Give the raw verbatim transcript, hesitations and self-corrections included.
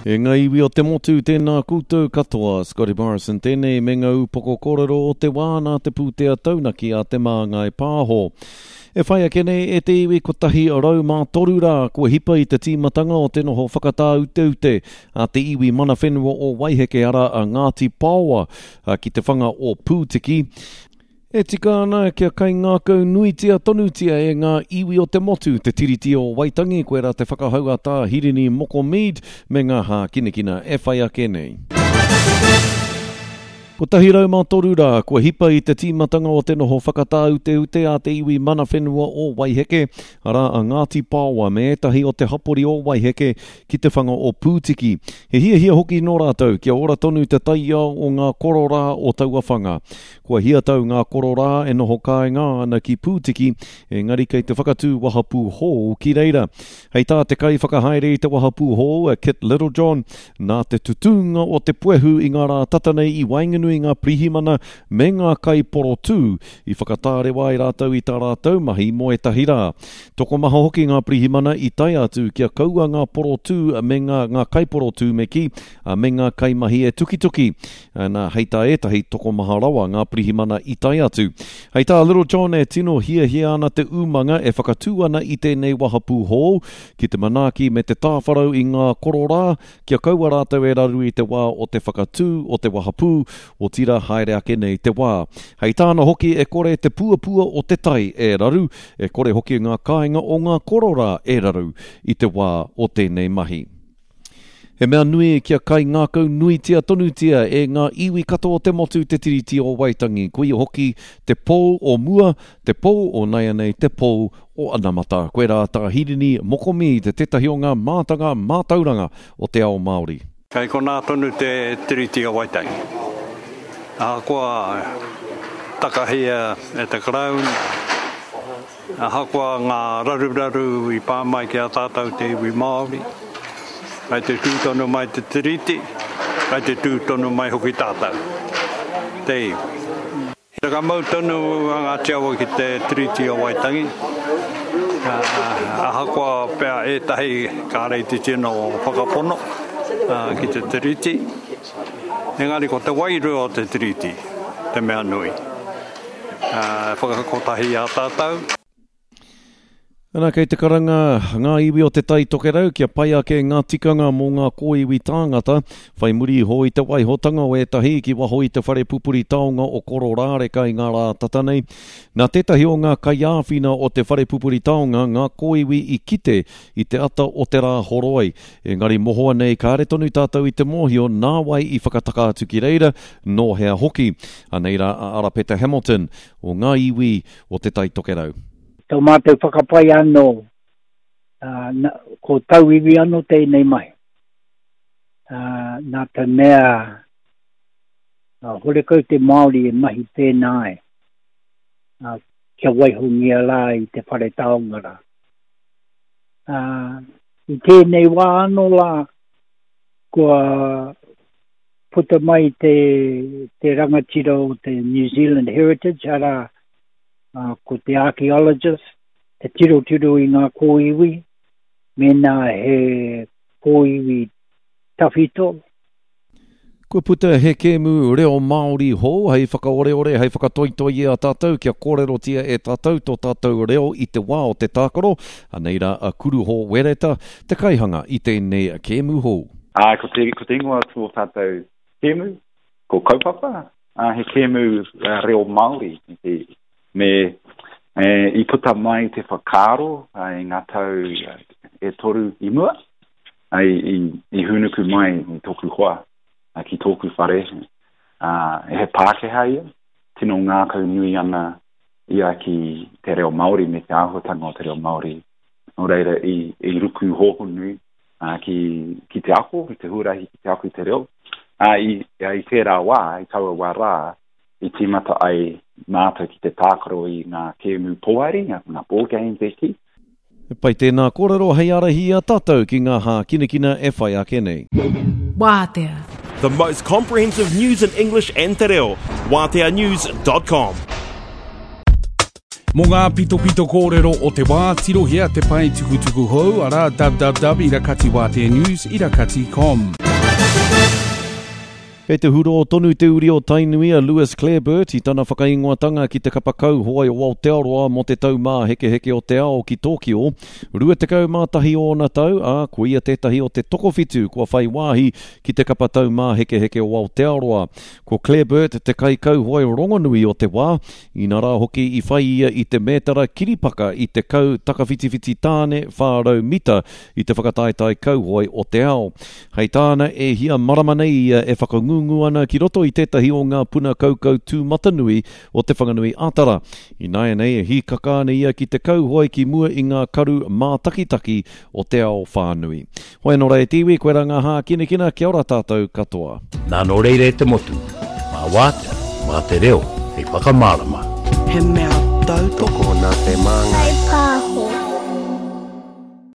E ngā iwi o te motu, tēnā koutou katoa, Scotty Morrison tēnei me ngā upoko kōrero o te wā nā te pūtea taunaki a Te Māngai Pāho. E whai ake nei e te iwi kotahi rau mā toru rā kua hipa i te tīmatanga o te noho whakatāuteute a te iwi mana whenua o Waiheke arā a Ngāti Paoa ki te whanga o Pūtiki. E tika ana kia kaingākau nuitia tonutia e ngā iwi o te motu te Tiriti o Waitangi, koirā te whakahau a Tā Hirini Moko Mead me ngā hākinakina e whai ake nei. Kotahi rau mā toru rā kua hipa i te tīmatanga o te noho whakatāuteute a te iwi mana whenua o Waiheke, arā a Ngāti Paoa me ētahi o te hapori o Waiheke ki te whanga o Pūtiki. He hiahia hoki nō rātou kia ora tonu te taiao o ngā kororā o taua whanga. Kua hia tau ngā kororā e noho kāinga ana ki Pūtiki, engari kei te whakatū wahapū hou ki reira. Hei tā te kaiwhakahaere i te wahapū hou, a Kit Littlejohn, nā te tutūnga o te puehu i ngā rā tata nei i waenganui i ngā pirihimana me ngā kaiporotū i whakatārewa ai rātou i tā rātou mahi mō ētahi rā. Tokomaha hoki ngā pirihimana i tae atu kia kaua ngā porotū me ngā, ngā kaiporotū me kī, me ngā kaimahi e tukituki. Nā, hei tā ētahi, tokomaha rawa ngā pirihimana i tae atu. Hei tā Littlejohn e tino hiahia ana te umanga e whakatū ana i tēnei wahapū hou ki te manaaki me te tāwharau i ngā kororā kia kaua rātou e raru i te wā o te whakatū o te wahapū, otirā haere ake nei te wā. Hei tāna hoki e kore te puapua o te tai e raru, e kore hoki ngā kāinga o ngā kororā e raru i te wā o tēnei mahi. He mea nui kia kaingākau nuitia tonutia e ngā iwi katoa o te motu te Tiriti o Waitangi, koia hoki te pou o mua, te pou o naianei, te pou o anamata. Koirā tā Hirini Moko Mead, tētahi o ngā mātanga mātauranga o te ao Māori. Kei konā tonu te Tiriti o Waitangi. Ahakoa takahia e te Karauna, Ahakoa ngā raruraru i pā mai ki a tātou te iwi Māori, kei te tū tonu mai te Tiriti, kei te tū tonu mai hoki tātou, te iwi. Ka mau tonu a Ngāti Awa ki te Tiriti o Waitangi, ahakoa pea ētahi kāre i te tino whakapono ki te Tiriti, engari ko te wairua o te Tiriti te mea nui. Whakakotahi i a tātou. Ana, kei te karanga ngā iwi o Te Tai Tokerau kia pai ake ngā tikanga mō ngā kōiwi tāngata, whai muri iho i te waihotanga o ētahi ki waho i te whare pupuri taonga o Kororāreka i ngā rā tata nei. Nā tētahi o ngā kaiāwhina o te whare pupuri taonga ngā kōiwi i kite i te ata o te rā horoi, engari mohoa nei kāre tonu tātou i te mōhio nā wai i whakataka atu ki reira, nō hea hoki. Anei rā a Arapeta Hamilton o ngā iwi o Te Tai Tokerau. Tō mātou whakapae anō, ko tauiwi anō tēnei mahi. Nā te mea, horekau te Māori e mahi pēnā ai, kia waihongia rā i te whare taonga rā. I tēnei wā anō rā, kua puta mai te, te rangatira o te New Zealand Heritage, arā, uh, ko te archaeologist, te tirotiro i ngā kōiwi, mēnā he kōiwi tawhito. Kua puta he kēmu reo Māori hou hei whakaoreore, hei whakatoitoi i a tātou kia kōrerotia e tātou tō tātou reo i te wā o te tākaro. Anei rā a Kuruho Wereta, te kaihanga i tēnei kēmu hou. Ā, ko te, ko te ingoa tō tātou kēmu, ko Kaupapa, ā, he kēmu reo Māori. Me, e, i puta mai te whakaaro i ngā tau e toru i mua, i, i, i hūnuku mai i tōku hoa ki tōku whare, ā, he Pākehā ia, tino ngākau nui ana ia ki te reo Māori me te āhuatanga o te reo Māori. Nō reira, i, i ruku hōhonu ā, ki, ki te ako, i te huarahi ki te ako i te reo. Ā, i, i tērā wā, i taua wā rā, i tīmata ai mātou ki te tākaro i ngā kēmu poari, ngā, ngā board games e kī. He pai tēnā kōrero hei ārahi i a tātou ki ngā hākinakina e whai ake nei. Wātea. The most comprehensive news in English and te reo. Wātea news dot com. Mō ngā pitopito kōrero o te wā, tirohia te pae tukutuku hou, arā www irakati wātea news irakati com. Kei te huro tonu te uri o Tainui a Lewis Clareburt i tana whakaingoatanga ki te kapa kauhoe o Aotearoa mō te taumāhekeheke o te ao ki Tōkio. Rua tekau mā tahi ōna tau, ā, ko ia tētahi o te tokowhitu kua whai wāhi ki te kapa taumāhekeheke o Aotearoa. Ko Clareburt te kaikauhoe rongonui o te wā, inarā hoki i whai ia i te mētara kiripaka i te kau takawhitiwhiti tāne whā rau mita i te whakataetae kauhoe o te ao. Hei tāna e hia marama nei ia e whakangungu ana ki roto i tētahi o ngā puna kaukau tūmatanui o Te Whanganui Ātara. Ināianei e hīkaka ana ia ki te kauhoe ki mua i ngā karu mātakitaki o te ao whānui. Hoi anō rā e te iwi, koe rā ngā hākinakina, kia ora tātou katoa. Nā nō reira e te motu, mā wātea, mā te reo, hei whakamārama. He mea tautoko nā te māngai.